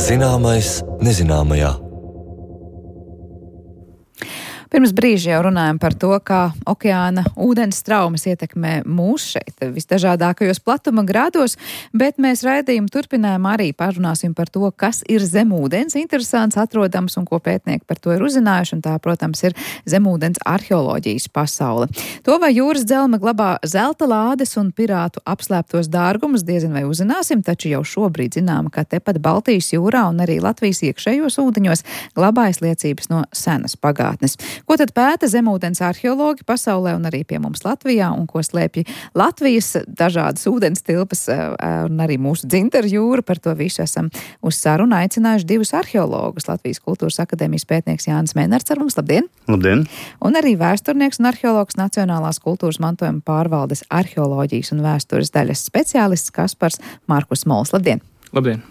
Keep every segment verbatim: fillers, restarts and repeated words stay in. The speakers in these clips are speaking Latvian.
Zināmais nezināmajā. Pirms brīža jau runājam par to, kā okeāna ūdens traumas ietekmē mūs šeit visdažādākajos platuma grādos, bet mēs raidījumu turpinājumā arī parunāsim par to, kas ir zemūdens interesants, atrodams un ko pētnieki par to ir uzzinājuši, un tā, protams, ir zemūdens arheoloģijas pasaule. To, vai jūras dzelme glabā zelta lādes un pirātu apslēptos dārgumus, diezin vai uzzināsim, taču jau šobrīd zinām, ka tepat Baltijas jūrā un arī Latvijas iekšējos ūdeņos glabājas liecības no senas pagātnes. Ko tad pēta zemūdens arheologi pasaulē un arī pie mums Latvijā, un ko slēpj Latvijas dažādas ūdens tilpas un arī mūsu dzintaru jūra? Par to visu esam uz sarunu aicinājuši divus arheologus. Latvijas Kultūras akadēmijas pētnieks Jānis Mēnarts ar mums. Labdien! Labdien! Un arī vēsturnieks un arheologs Nacionālās kultūras mantojuma pārvaldes arheoloģijas un vēstures daļas speciālists Kaspars Markus Mols. Labdien! Labdien!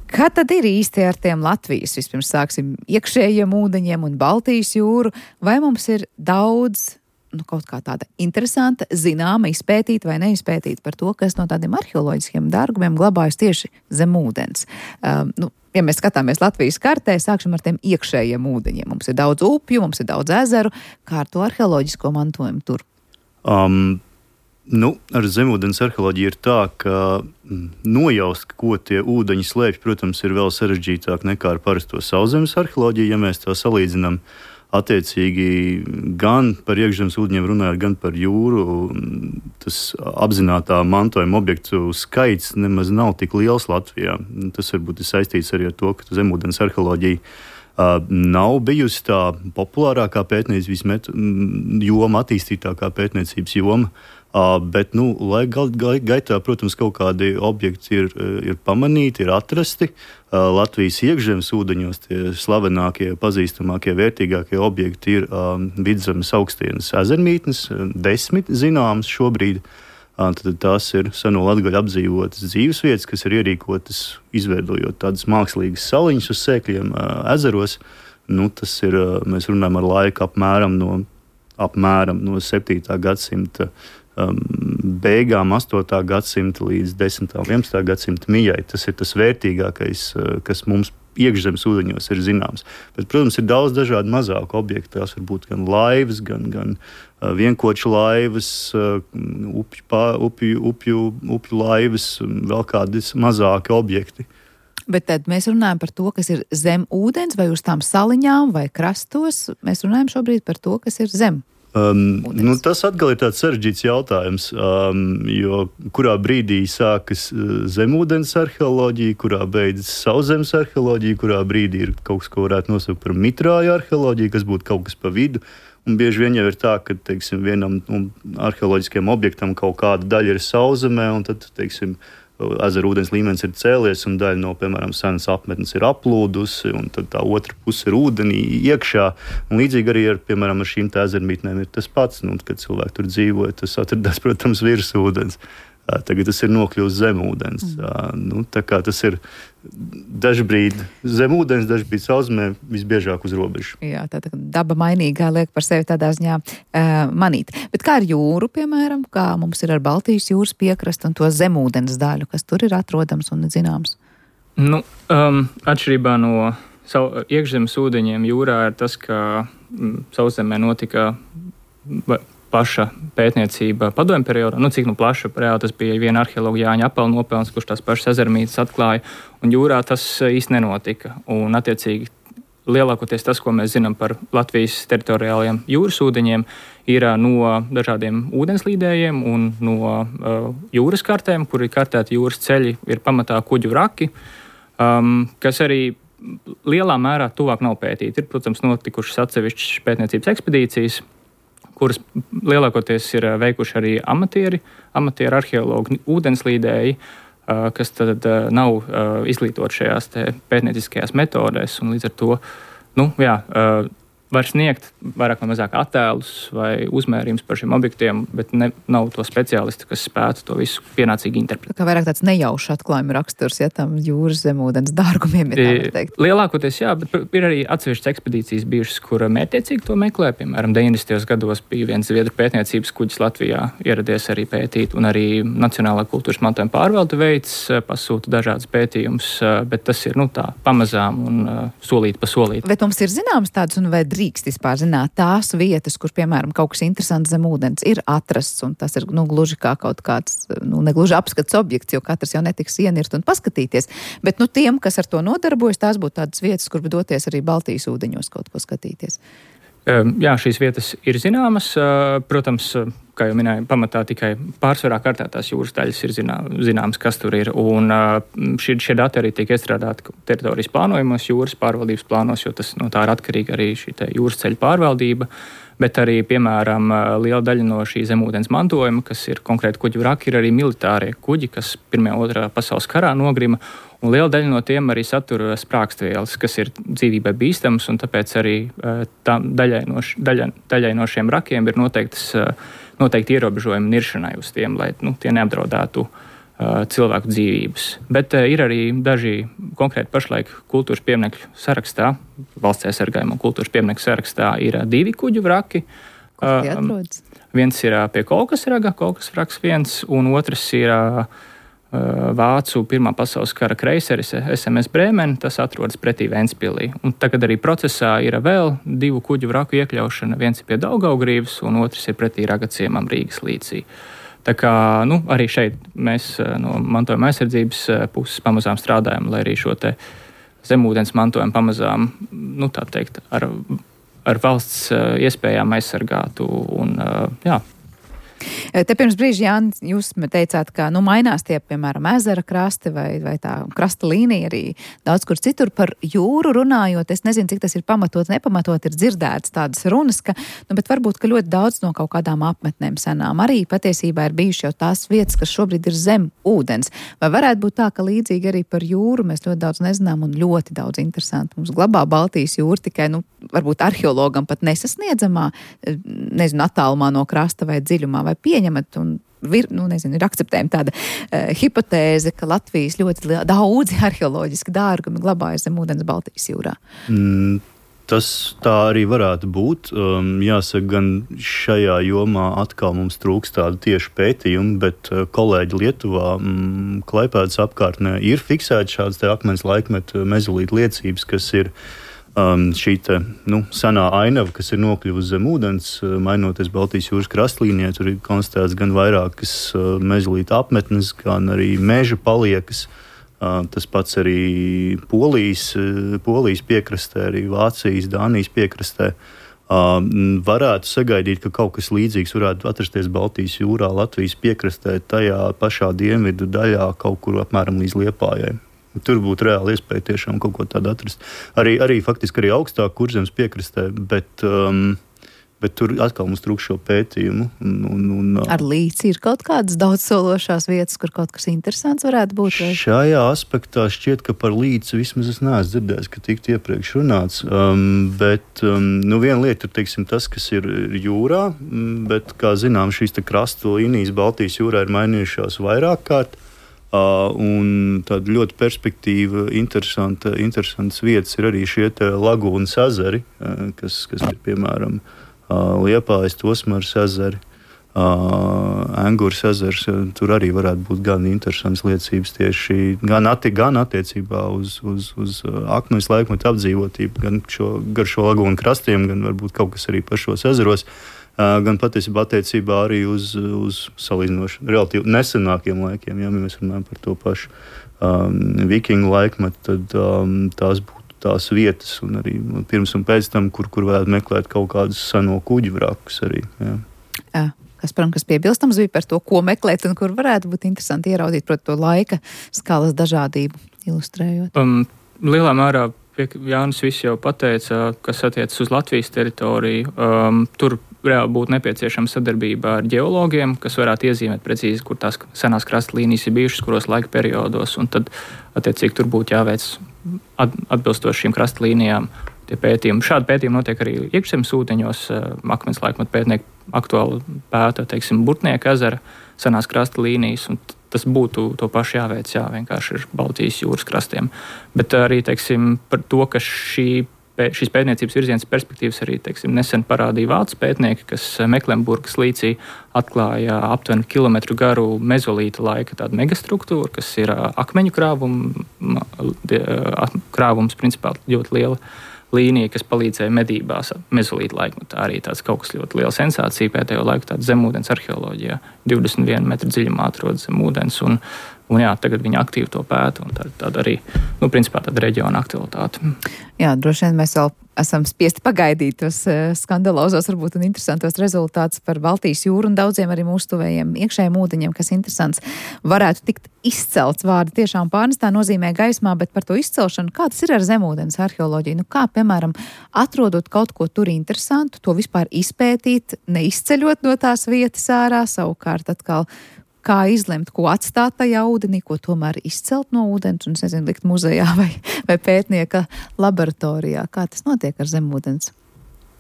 Kā tad ir īsti ar tiem Latvijas? Vispirms sāksim iekšējiem ūdeņiem un Baltijas jūru. Vai mums ir daudz, nu, kaut kā tāda interesanta, zināma, izpētīta vai neizpētīta par to, kas no tādiem arheoloģiskiem dārgumiem glabājas tieši zem ūdens? Um, nu, ja mēs skatāmies Latvijas kartē, sāksim ar tiem iekšējiem ūdeņiem. Mums ir daudz upju, mums ir daudz ezeru. Kā ar to arheoloģisko mantojumu tur? Um. Nu, ar zemūdens arheoloģiju ir tā, ka nojaust, ko tie ūdeņi slēpj, protams, ir vēl sarežģītāk nekā ar parasto sauszemes arheoloģiju, ja mēs tā salīdzinām. Attiecīgi gan par iekšzemes ūdeņiem runājot, gan par jūru, tas apzinātā mantojuma objektu skaits nemaz nav tik liels Latvijā. Tas varbūt ir saistīts arī ar to, ka zemūdens arheoloģija uh, nav bijusi tā populārākā pētniecības joma, attīstītākā pētniecības joma. Uh, bet, nu, lai gal, gal, gaitā, protams, kaut kādi objekti ir, ir pamanīti, ir atrasti. Uh, Latvijas iekšzemes ūdeņos tie slavenākie, pazīstamākie, vērtīgākie objekti ir um, Vidzemes augstienes ezermītnes, desmit zināmas šobrīd. Uh, tad tās ir seno latgaļu apdzīvotas dzīvesvietas, kas ir ierīkotas, izveidojot tādas mākslīgas saliņas uz sēkļiem uh, ezeros. Nu, tas ir, uh, mēs runājam ar laiku apmēram no, apmēram no septītā gadsimta Um, beigām astotā gadsimta līdz desmitā un vienpadsmitā gadsimta mijai. Tas ir tas vērtīgākais, uh, kas mums iekšzemes ūdeņos ir zināms. Bet, protams, ir daudz dažādu mazāku objektu. Tās var būt gan laivas, gan, gan uh, vienkoču laivas, uh, upju, pā, upju, upju, upju laivas, vēl kādi mazāki objekti. Bet tad mēs runājam par to, kas ir zem ūdens vai uz tām saliņām vai krastos. Mēs runājam šobrīd par to, kas ir zem. Um, nu, tas atkal ir tāds sarežģīts jautājums, um, jo kurā brīdī sākas uh, zemūdens arheoloģija, kurā beidzas sauszemes arheoloģija, kurā brīdī ir kaut kas, ko varētu nosaukt par mitrāju arheoloģiju, kas būtu kaut kas pa vidu. Un bieži vien jau ir tā, ka, teiksim, vienam nu, arheoloģiskiem objektam kaut kāda daļa ir sauszemē, un tad, teiksim, ezeru ūdens līmenis ir cēlies, un daļa no, piemēram, senas apmetnes ir aplūdusi, un tad tā otra puse ir ūdenī iekšā. Un līdzīgi arī ar, piemēram, ar šīm tā ezermītnēm ir tas pats, nu, kad cilvēki tur dzīvoja, tas atradās, protams, virs ūdens. Tagad tas ir nokļūst zem ūdens. Mm. Nu, tā kā tas ir dažbrīd zem ūdens, dažbrīd sauszemē, visbiežāk uz robežu. Jā, tā tā daba mainīgā liek par sevi tādā ziņā uh, manīt. Bet kā ar jūru, piemēram, kā mums ir ar Baltijas jūras piekrastu un to zemūdens daļu, kas tur ir atrodams un zināms? Nu, um, atšķirībā no savu, iekšzemes ūdeņiem jūrā ir tas, ka mm, sauszemē notika plaša pētniecība padomju periodā. Nu, cik nu plaša, reāli tas bija viena arheologa Jāņa Apela nopelns, kurš tās pašas ezermītes atklāja, un jūrā tas īsti nenotika. Un, attiecīgi, lielākoties tas, ko mēs zinām par Latvijas teritoriālajiem jūras ūdeņiem, ir no dažādiem ūdenslīdējiem un no uh, jūras kartēm, kur ir kartēti jūras ceļi, ir pamatā kuģu raki, um, kas arī lielā mērā tuvāk nav pētīti. Ir, protams, notikušas atsevišķas pētniecības ekspedīcijas, kuras lielākoties ir veikuši arī amatieri, amatieru arheologi, ūdenslīdēji, kas tad nav izglītoti šajās te pētnieciskajās metodēs. Un līdz ar to, nu, jā, var sniegt vairāk vai mazāk attēlus vai uzmērījums par šiem objektiem, bet ne, nav to speciālistu, kas spētu to visu pienācīgi interpretēt. Tā kā vairāk tāds nejaušs atklājuma raksturs, ja tam jūras zemūdens dārgumiem ir tā var teikt. Lielākoties jā, bet ir arī atsevišķas ekspedīcijas bijušas, kur mērķiecīgi to meklē. Piemēram, deviņdesmitajos gados bija viens zviedru pētniecības kuģis Latvijā ieradies arī pētīt, un arī Nacionālā kultūras mantojuma pārvalde veids pasūta dažādas pētījumus, bet tas ir, nu, tā pamazām un solīt pa solīt. Bet mums ir zināms tāds, un vai drīkst vispār zināt tās vietas, kur, piemēram, kaut kas interesants zem ūdens ir atrasts, un tas ir, nu, gluži kā kaut kāds, nu, negluži apskats objekts, jo katrs jau netiks ienirt un paskatīties. Bet, nu, tiem, kas ar to nodarbojas, tās būtu tādas vietas, kur doties arī Baltijas ūdeņos kaut ko skatīties. Jā, šīs vietas ir zināmas. Protams, kā jau minēju, pamatā tikai pārsvarā kartētās jūras daļas ir zināmas, kas tur ir. Un šie, šie dati arī tiek iestrādāti teritorijas plānojumos, jūras pārvaldības plānos, jo tas no tā ir atkarīga arī šī jūras ceļa pārvaldība. Bet arī, piemēram, liela daļa no šī zemūdens mantojuma, kas ir konkrēti kuģu vraki, ir arī militārie kuģi, kas Pirmajā un Otrajā pasaules karā nogrima. Un liela daļa no tiem arī satur sprākstvielas, kas ir dzīvībai bīstamas, un tāpēc arī tā, daļai, no, daļai, daļai no šiem vrakiem ir noteiktas, noteikti ierobežojumi niršanai uz tiem, lai, nu, tie neapdraudētu uh, cilvēku dzīvības. Bet uh, ir arī daži konkrēti pašlaik kultūras pieminekļu sarakstā, valsts aizsargājuma kultūras pieminekļu sarakstā ir uh, divi kuģu vraki. Kur tie atrodas? Uh, viens ir uh, pie Kolkasraga, Kolkas vraks viens, un otrs ir uh, Vācu Pirmā pasaules kara kreiseris S M S Brēmen, tas atrodas pretī Ventspilī. Un tagad arī procesā ir vēl divu kuģu vraku iekļaušana, viens ir pie Daugavgrīvas un otrs ir pretī Ragaciemam Rīgas līcī. Tā kā, nu, arī šeit mēs no mantojuma aizsardzības puses pamazām strādājam, lai arī šo te zemūdens mantojumu pamazām, nu, tā teikt, ar, ar valsts iespējām aizsargātu un, jā. Te pirms brīža, Jānis, jūs teicāt, ka, nu, mainās tie, piemēram, ezera krasti vai, vai tā krasta līnija arī daudz kur citur. Par jūru runājot, es nezinu, cik tas ir pamatot, nepamatot, ir dzirdēts tādas runas, ka, nu, bet varbūt, ka ļoti daudz no kaut kādām apmetnēm senām arī patiesībā ir bijuši jau tās vietas, kas šobrīd ir zem ūdens. Vai varētu būt tā, ka līdzīgi arī par jūru mēs ļoti daudz nezinām un ļoti daudz interesanti mums glabā Baltijas jūra, tikai, nu, varbūt arheologam pat nesasniedzamā, nezinu, attālumā no krasta vai dziļumā, vai pieņemat un vir, nu, nezinu, ir akceptējama tāda uh, hipotēze, ka Latvijas ļoti daudzi arheoloģiski dārgumi glabājas zem ūdens Baltijas jūrā? Mm, tas tā arī varētu būt. Um, jāsaka, gan šajā jomā atkal mums trūks tādu tieši pētījumu, bet uh, kolēģi Lietuvā, mm, Klaipēdas apkārtnē ir fiksēti šādas te akmens laikmeta mezolīta liecības, kas ir Um, šī te, nu, senā ainava, kas ir nokļuvusi zem ūdens, mainoties Baltijas jūras krastlīnijai, tur ir konstatēts gan vairākas uh, mezolīta apmetnes, gan arī meža paliekas. Uh, tas pats arī Polijas, uh, Polijas piekrastē, arī Vācijas, Dānijas piekrastē. Uh, varētu sagaidīt, ka kaut kas līdzīgs varētu atrasties Baltijas jūrā, Latvijas piekrastē, tajā pašā dienvidu daļā, kaut kur apmēram līdz Liepājai. Tur būtu reāli iespēja tiešām kaut ko tādu atrast. Arī, arī faktiski arī augstāk Kurzemes piekrastē, bet, um, bet tur atkal mums trūkst šo pētījumu. Un, un, un, Ar līci ir kaut kādas daudzsološās vietas, kur kaut kas interesants varētu būt? Vai? Šajā aspektā šķiet, ka par līci vismaz es neesmu dzirdējis, ka tiktu iepriekš runāts. Um, bet um, nu, viena lieta ir, teiksim, tas, kas ir jūrā, bet, kā zinām, šīs te krasta līnijas Baltijas jūrā ir mainījušās vairāk kārt. Uh, un tāda ļoti perspektīva, interesanta, interesantas vietas ir arī šie lagūnas ezeri, uh, kas, kas ir piemēram uh, Liepājas, Tosmaras ezeri, uh, Engures ezers. Tur arī varētu būt gan interesants liecības tieši gan, atti, gan attiecībā uz, uz, uz akmens laikmetu apdzīvotību, gan šo, gar šo lagūnu krastiem, gan varbūt kaut kas arī pašos ezeros. Gan patiesībā attiecībā arī uz, uz salīdzinoši relatīvi nesenākiem laikiem. Ja mēs runājam par to pašu um, vikingu laikmetu, tad um, tās būtu tās vietas un arī pirms un pēc tam, kur, kur varētu meklēt kaut kādus seno kuģu vrakus arī. Jā. Jā. Kasparam, kas piebilstams bija par to, ko meklēt un kur varētu būt interesanti ieraudzīt, proti, to laika skalas dažādību ilustrējot? Um, lielā mērā Jānis viss jau pateica, kas attiecas uz Latvijas teritoriju. Um, tur reāli būtu nepieciešama sadarbība ar ģeologiem, kas varētu iezīmēt precīzi, kur tās senās krasta līnijas ir bijušas, kuros laika periodos, un tad, attiecīgi, tur būtu jāveic atbilstoši šīm krasta līnijām tie pētījumi. Šādi pētījumi notiek arī iekšzemes ūdeņos. Akmens laikmetu pētnieki aktuāli pēta, teiksim, Burtnieka ezera senās krasta līnijas, un tas būtu to pašu jāveic, jā, vienkārši ir Baltijas jūras krastiem. Bet arī, teiksim, par to, ka šī, šīs pētniecības virziens perspektīvas arī, teiksim, nesen parādīja vācu pētnieki, kas Meklenburgas līcī atklāja aptuveni kilometru garu mezolīta laika tādu megastruktūru, kas ir akmeņu krāvum, krāvums, principā ļoti liela līnija, kas palīdzēja medībās mezolīta laikmetā. Arī tāds kaut kas ļoti liela sensācija pēdējo laiku, tāda zemūdens arheoloģijā. divdesmit vienu metru dziļumā atrodas zemūdens, un, un jā, tagad viņi aktīvi to pēta, un tā, tāda arī, nu, principā tāda reģiona aktualitāte. Jā, droši vien mēs vēl esam spiesti pagaidīt tos skandalozos, varbūt un interesantos rezultātus par Baltijas jūru un daudziem arī mūsu tuvējiem iekšējiem ūdeņiem, kas interesants varētu tikt izcelts. Vārdi tiešām pārnestā nozīmē gaismā, bet par to izcelšanu, kā tas ir ar zemūdens arheoloģiju? Nu, kā, piemēram, atrodot kaut ko tur interesantu, to vispār izpētīt, neizceļot no tās vietas ārā, savukārt atkal kā izlemt, ko atstāt tajā ūdenī, ko tomēr izcelt no ūdens un, nezinu, likt muzejā vai, vai pētnieka laboratorijā. Kā tas notiek ar zemūdens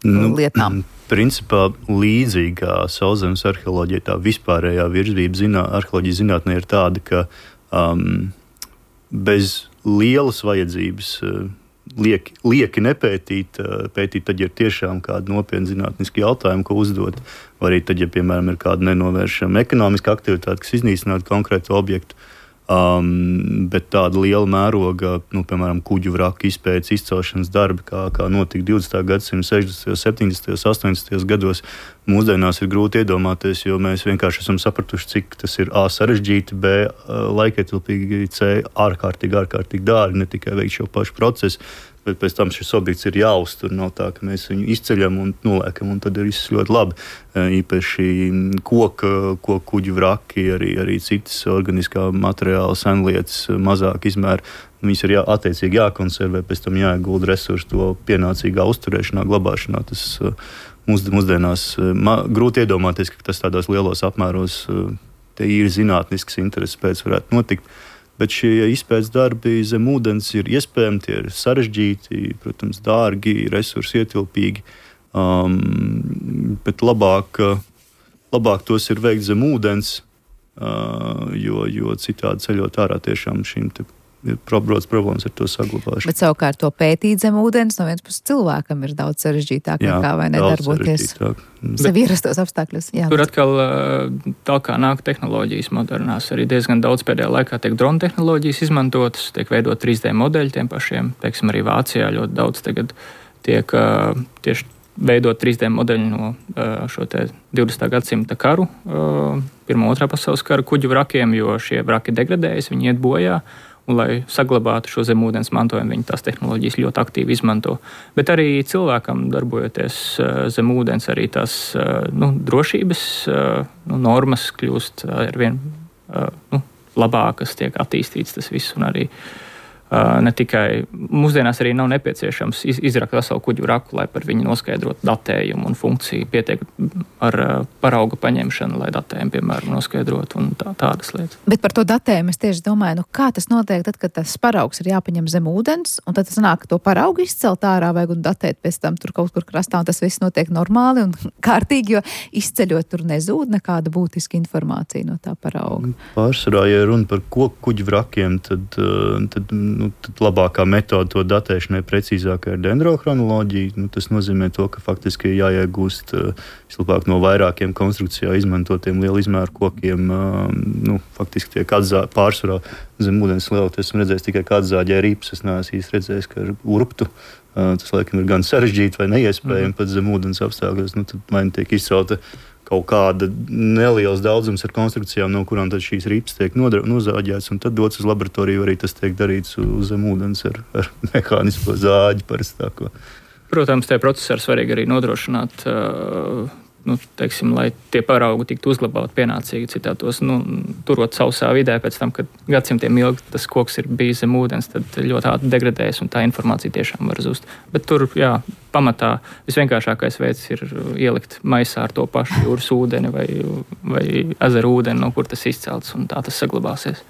nu, lietām? Principā līdzīgā sauszemes arheoloģija, tā vispārējā virzība zinā, arheoloģijas zinātnē ir tāda, ka um, bez lielas vajadzības uh, lieki, lieki nepētīt, uh, pētīt tad, ja ir tiešām kādi nopietni zinātniski jautājumi, ko uzdot, vai arī tad, ja, piemēram, ir kāda nenovēršama ekonomiska aktivitāte, kas iznīcinātu konkrētu objektu, um, bet tāda liela mēroga, nu, piemēram, kuģu vraku izpētes izcelšanas darbi, kā, kā notika divdesmitā gadsimta sešdesmitajos, septiņdesmitajos, astoņdesmitajos gados, mūsdienās ir grūti iedomāties, jo mēs vienkārši esam sapratuši, cik tas ir A sarežģīti, B laikietilpīgi, C ārkārtīgi, ārkārtīgi dārgi, ne tikai veikt šo pašu procesu, bet pēc tam šis objekts ir jāuztur. Nav tā, ka mēs viņu izceļam un noliekam, un tad ir viss ļoti labi. Īpaši koka, koku kuģu vraki, arī, arī citas organiskā materiāla senlietas, mazāk izmēra. Viņas ir jā, attiecīgi jākonservē, pēc tam jāiegulda resursi to pienācīgā uzturēšanā, glabāšanā. Tas mūs, mūsdienās ma, grūti iedomāties, ka tas tādos lielos apmēros te ir zinātnisks intereses pēc varētu notikt. Bet šie izpētes darbi zem ūdens ir iespējami, tie ir sarežģīti, protams, dārgi, resursi ietilpīgi, um, bet labāk, labāk tos ir veikt zem ūdens, uh, jo, jo citādi ceļot ārā tiešām šīm te ir probrots problēmas ar to saglabāšanu. Bet savukārt to pētīt zem ūdens no vienas puses cilvēkam ir daudz sarežģītāk nekā vai nedarboties sev ierastos apstākļos. Jā, tur atkal tā kā nāk tehnoloģijas modernās, arī diezgan daudz pēdējā laikā tiek drona tehnoloģijas izmantotas, tiek veidot trīs D modeļi tiem pašiem, teiksim, arī Vācijā ļoti daudz tagad tiek tieši veidot trīs D modeļi no šo te divdesmitā gadsimta karu, pirmā, otrā pasaules kara kuģu vrakiem, jo šie vraki degradējas, viņi iet bojā. Un, lai saglabātu šo zemūdens mantojumu, viņi tās tehnoloģijas ļoti aktīvi izmanto. Bet arī cilvēkam darbojoties zem ūdens, arī tās nu, drošības nu, normas kļūst arvien nu, labākas, tiek attīstīts tas viss, un arī ne tikai mūsdienās arī nav nepieciešams iz, izrakt veselu kuģu vraku, lai par viņu noskaidrotu datējumu un funkciju, pietiek ar parauga paņemšanu, lai datējumu, piemēram, noskaidrotu un tā, tādas lietas. Bet par to datējumu es tieši domāju, nu kā tas notiek tad, kad tas paraugs ir jāpaņem zem ūdens, un tad tas nāk to paraugu izcelt ārā, vajag un datēt pēc tam tur kaut kur krastā, un tas viss notiek normāli un kārtīgi, jo izceļot tur nezūd nekāda būtiska informācija no tā parauga. Pārsvarā, ja runa par koku kuģu vrakiem, tad, tad Nu, tad labākā metode to datēšanai precīzākai ir dendrochronoloģija. Nu, tas nozīmē to, ka faktiski jāiegūst vislabāk no vairākiem konstrukcijā izmantotiem lielu izmēru kokiem. Nu, faktiski tiek atzā, pārsvarā zem ūdens lielot. Esmu redzējis tikai kā atzāģē rīpus. Es neesmu īsti redzējis, ka ar urptu. Tas, laikam, ir gan sarežģīti vai neiespējami mm. pat zem ūdens apstākļos. Nu, tad man tiek izcelta kaut kāda neliels daudzums ar konstrukcijām, no kurām tad šīs rīpas tiek nozāģētas, un tad dots uz laboratoriju, arī tas tiek darīts uz zem ūdens ar, ar mehānisko zāģi parastāko. Protams, tie procesi ir svarīgi arī nodrošināt, uh, nu, teiksim, lai tie paraugi tiktu uzglabāti pienācīgi, citātos, nu, turot sausā vidē pēc tam, kad gadsimtiem ilgi tas koks ir bijis zem ūdens, tad ļoti ātri degradējas un tā informācija tiešām var zust. Bet tur, jā, pamatā visvienkāršākais veids ir ielikt maisā ar to pašu jūras ūdeni vai, vai ezeru ūdeni, no kur tas izcelts, un tā tas saglabāsies.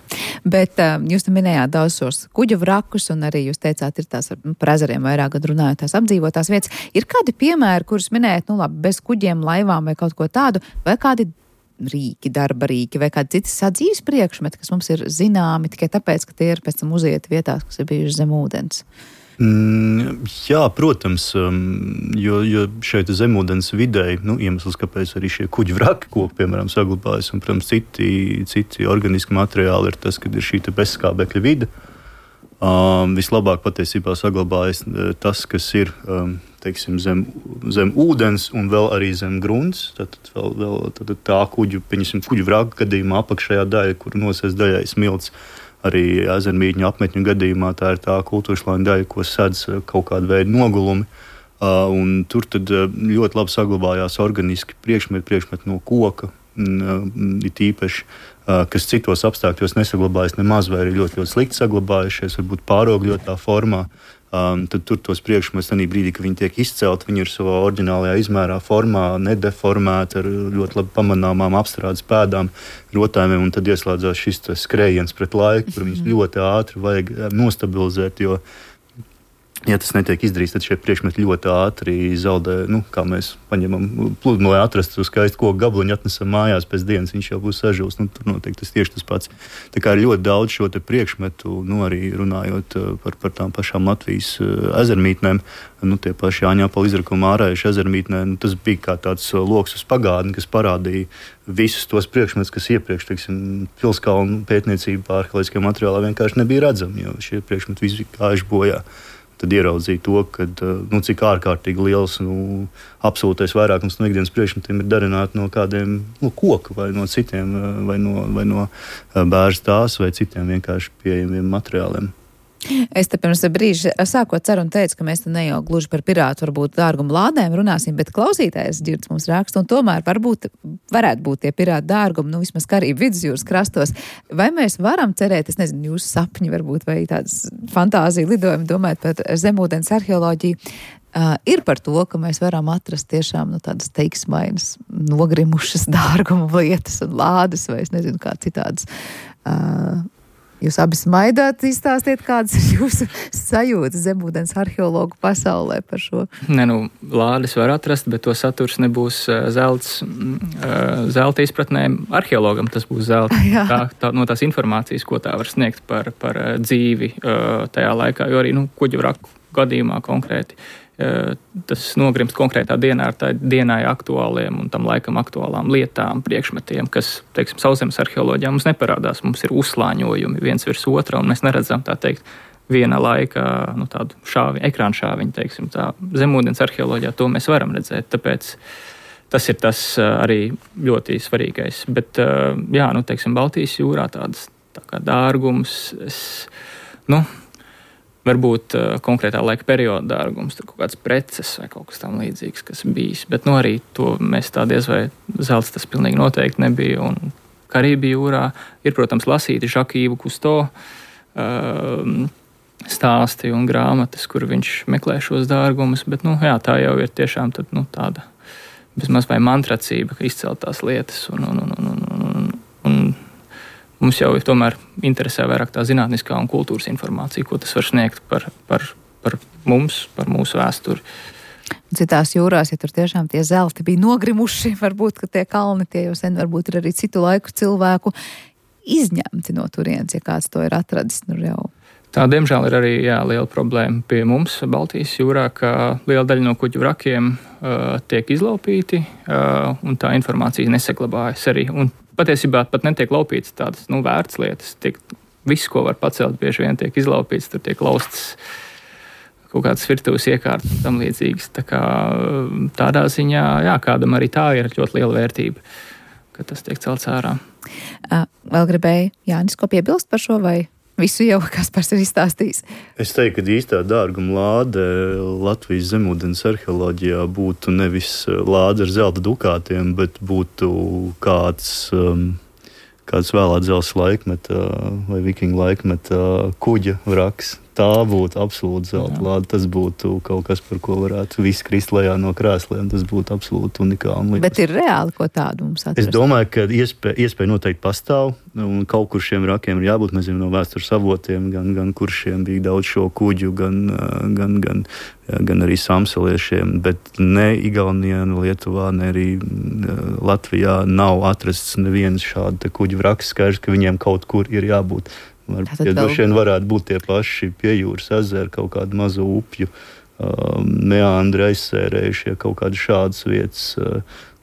Bet uh, jūs te minējāt daudz šos kuģu vrakus, un arī jūs teicāt, ir tās par ezeriem vairāk gadu runājot, tās apdzīvotās vietas. Ir kādi piemēri, kurus minējat, nu labi, bez kuģiem, laivām vai kaut ko tādu, vai kādi rīki, darba rīki vai kādi citi sadzīves priekšmeti, kas mums ir zināmi tikai tāpēc, ka tie ir pēc tam uzieti vietās, kas ir bijuši zem ūdens? Mm, jā, protams, um, jo, jo šeit zemūdens videi, nu, iemesls, kāpēc arī šie kuģi vraki koki, piemēram, saglabājas, un, protams, citi, citi organiski materiāli ir tas, kad ir šī bezskābekļa vide. Um, vislabāk patiesībā saglabājas tas, kas ir um, teiksim, zem, zem ūdens un vēl arī zem grunts. Tad, vēl, vēl, tad tā kuģu, pieņemsim, kuģu vraka gadījumā apakšējā daļa, kur nosēs daļai smilts. Arī ezermītņu apmetņu gadījumā tā ir tā kultūrslāņa daļa, ko sedz kaut kāda veida nogulumi. Uh, un tur tad ļoti labi saglabājās organiski priekšmeti, priekšmeti no koka, uh, it īpaši, uh, kas citos apstākļos nesaglabājas nemaz vai ir ļoti, ļoti slikti saglabājušies, varbūt pārogļotā formā. Um, tad tur tos priekšmetus tajā brīdī, kad viņi tiek izcelti, viņi ir savā oriģinālajā izmērā, formā, nedeformēti ar ļoti labi pamanāmām apstrādes pēdām, rotājumiem, un tad ieslēdzās šis skrējiens pret laiku, kur viņus ļoti ātri vajag nostabilizēt, jo, ja tas netiek izdarīts, tad šie priekšmeti ļoti ātri zaudē, nu, kā mēs paņemam pludmali, lai atrastu skaistu koku gabaliņu, atnesam mājās pēc dienas, viņš jau būs sažūs, nu, tur noteikti tas tieši tas pats. Tā kā ir ļoti daudz šo te priekšmetu, nu, arī runājot par, par tām pašām Latvijas ezermītnēm, nu, tie paši Jāņāpala izrakuma ārējuši ezermītnē, nu, tas bija kā tāds loks uz pagātni, kas parādīja visus tos priekšmetus, kas iepriekš, teiksim, pilskalnu pētniecībā, arheoloģiskajā materiālā vienkārši nebija redzami, jo šie priekšmeti visi gājuši bojā. Tad ieraudzīja to, kad, nu, cik ārkārtīgi liels, nu, absolūtais vairākums no ikdienas priekšmetiem ir darināti no kādiem, nu, koka vai no citiem, vai no, vai no bērža tās vai citiem vienkārši pieejamiem materiāliem. Es te pirms brīža sākot ceru un teicu, ka mēs te ne jau gluži par pirātu varbūt dārgumu lādēm runāsim, bet klausītājs Dzirds mums raksta, un tomēr varbūt varētu būt tie pirātu dārgumi, nu vismaz Karību vidusjūras krastos. Vai mēs varam cerēt, es nezinu, jūsu sapņi varbūt vai tādas fantāzija lidojumi domājot par zemūdens arheoloģiju, uh, ir par to, ka mēs varam atrast tiešām nu, tādas teiksmainas, nogrimušas dārgumu lietas un lādes vai es nezinu kā citādas. Uh, Jūs abi smaidāt, izstāstiet, kādas ir jūsu sajūtas zemūdens arheologu pasaulē par šo? Ne, nu, lādes var atrast, bet to saturs nebūs zelts, zelta izpratnē arheologam, tas būs zelta. Tā, tā, no tās informācijas, ko tā var sniegt par, par dzīvi tajā laikā, jo arī nu, kuģu vraku gadījumā konkrēti. Tas nogrimst konkrētā dienā ar tā dienai aktuāliem un tam laikam aktuālām lietām, priekšmetiem, kas, teiksim, sauszemes arheoloģijā mums neparādās. Mums ir uzslāņojumi viens virs otra, un mēs neredzam, tā teikt, viena laika, nu, tādu šāvi, ekrānu šāviņu, teiksim, tā zemūdens arheoloģijā to mēs varam redzēt, tāpēc tas ir tas arī ļoti svarīgais. Bet, jā, nu, teiksim, Baltijas jūrā tādas tā kā dārgums, es, nu, varbūt uh, konkrētā laika perioda dārgums, tur kaut kāds preces vai kaut kas tam līdzīgs, kas bijis. Bet nu, arī to mēs tā diez vai zelts tas pilnīgi noteikti nebija. Un Karību jūrā ir, protams, lasīti Žakīvu Kusto uh, stāsti un grāmatas, kur viņš meklē šos dārgumus. Bet nu, jā, tā jau ir tiešām tad, nu, tāda bezmaz vai mantracība, ka izcelt tās lietas un, un, un, un, un, un mums jau tomēr interesē vairāk tā zinātniskā un kultūras informācija, ko tas var sniegt par, par, par mums, par mūsu vēsturi. Citās jūrās, ja tur tiešām tie zelti bija nogrimuši, varbūt, ka tie kalni tie jau sen varbūt ir arī citu laiku cilvēku izņemti no turienes, ja kāds to ir atradis. Nu jau. Tā, diemžēl, ir arī jā, liela problēma pie mums Baltijas jūrā, ka liela daļa no kuģu vrakiem uh, tiek izlaupīti uh, un tā informācija nesaglabājas arī. Un patiesībā pat netiek laupīts tādas, nu, vērts lietas. Tiek, viss, ko var pacelt, bieži vien tiek izlaupīts, tur tiek laustas kaut kādas virtuves iekārtas un tam līdzīgas. Tā kā tādā ziņā, jā, kādam arī tā ir ļoti liela vērtība, ka tas tiek celts ārā. Vēl gribēju Jānis, ko piebilst par šo vai visu jau Kaspars ir izstāstījis? Es teiktu, ka īstā dārguma lāde Latvijas zemūdens arheoloģijā būtu nevis lāde ar zelta dukātiem, bet būtu kāds, um, kāds vēlā dzelzs laikmeta vai vikingu laikmeta kuģa vraks. tā būtu absolūti zelta lāde. Tas būtu kaut kas, par ko varētu viss krist lejā no krēsliem. Tas būtu absolūti unikāli. Bet ir reāli, ko tādu mums atrast? Es domāju, ka iespēja, iespēja noteikti pastāv, un kaut kur šiem rakiem ir jābūt. Mēs zinām no vēstures avotiem, gan, gan kuršiem bija daudz šo kuģu, gan, gan, gan, gan arī samseliešiem, bet ne Igaunijā, ne Lietuvā, ne arī Latvijā nav atrasts neviens šāda kuģu vraks. Skaidrs, ka viņiem kaut kur ir jābūt. Varbūt, ja droši vien varētu būt tie paši pie jūras ezeri, kaut kādu mazu upju, um, meandri aizsērējušie, kaut kādu šādas vietas, uh,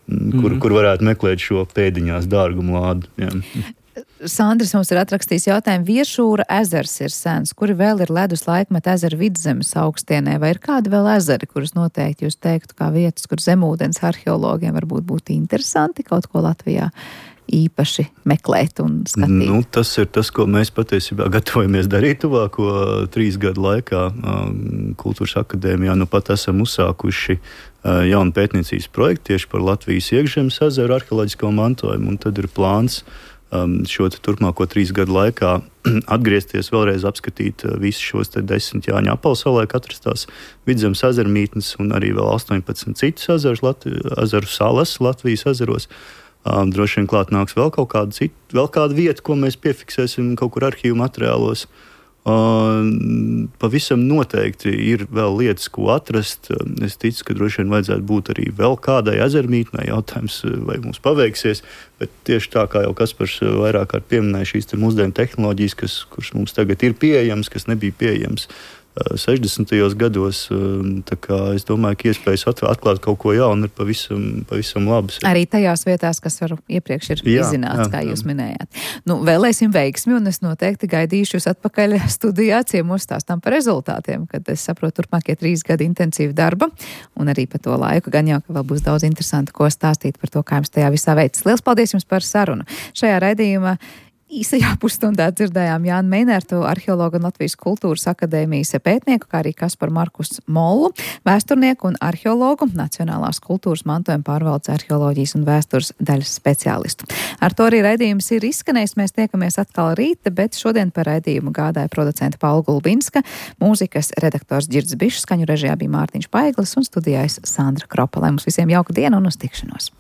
mm-hmm. kur, kur varētu meklēt šo pēdiņās dārgumu lādu. Jā. Sandris mums ir atrakstījis jautājumu, Viešūra ezers ir sens, kuri vēl ir ledus laikmeta ezera vidzemes augstienē, vai ir kādi vēl ezeri, kurus noteikti jūs teiktu kā vietas, kur zemūdens arheologiem varbūt būtu interesanti kaut ko Latvijā īpaši meklēt un skatīt? Nu, tas ir tas, ko mēs patiesībā gatavojamies darīt tuvāko trīs gadu laikā. Kultūras akadēmijā nu pat esam uzsākuši jaunu pētniecības projektu tieši par Latvijas iekšzemes ezeru arheoloģisko mantojumu, un tad ir plāns šo turpmāko trīs gadu laikā atgriezties, vēlreiz apskatīt visus šos te desmit Jāņa apalsalē atrastās vidzemes ezermītnes un arī vēl astoņpadsmit citus ezerus, Latvi, ezeru salas Latvijas ezeros. Um, droši vien klāt nāks vēl kaut kāda cita, vēl kāda vieta, ko mēs piefiksēsim kaut kur arhīvu materiālos. Uh, pavisam noteikti ir vēl lietas, ko atrast. Es ticu, ka droši vien vajadzētu būt arī vēl kādai ezermītnei. Jautājums, vai mums paveiksies, bet tieši tā kā jau Kaspars vairāk kārt pieminēja šīs te mūsdienu tehnoloģijas, kas, kuras mums tagad ir pieejams, kas nebija pieejams sešdesmitajos gados. Tā kā es domāju, ka iespējas atklāt kaut ko jaunu ir pavisam, pavisam labas. Arī tajās vietās, kas varu iepriekš ir jā, izzināts, jā, kā jūs jā. minējāt. Nu, vēlēsim veiksmi, un es noteikti gaidīšu jūs atpakaļ studijā, ciemos stāstām par rezultātiem, kad es saprotu turpmākie trīs gadi intensīva darba, un arī par to laiku, gan jau, ka vēl būs daudz interesanti, ko stāstīt par to, kā jums tajā visā veids. Liels paldies jums par sarunu. Šajā raidījumā īsajā pusstundā dzirdējām Jānu Meinertu, arheologu un Latvijas kultūras akadēmijas pētnieku, kā arī Kasparu Markus Mollu, vēsturnieku un arheologu, Nacionālās kultūras mantojuma pārvaldes arheoloģijas un vēstures daļas speciālistu. Ar to arī raidījums ir izskanējis. Mēs tiekamies atkal rīta, bet šodien par raidījumu gādāja producenta Paula Gulbinska, mūzikas redaktors Ģirds Bišs, skaņu režijā bija Mārtiņš Paiglis un studijājas Sandra Kropa. Lai mums visiem jauka diena un uz tikšanos!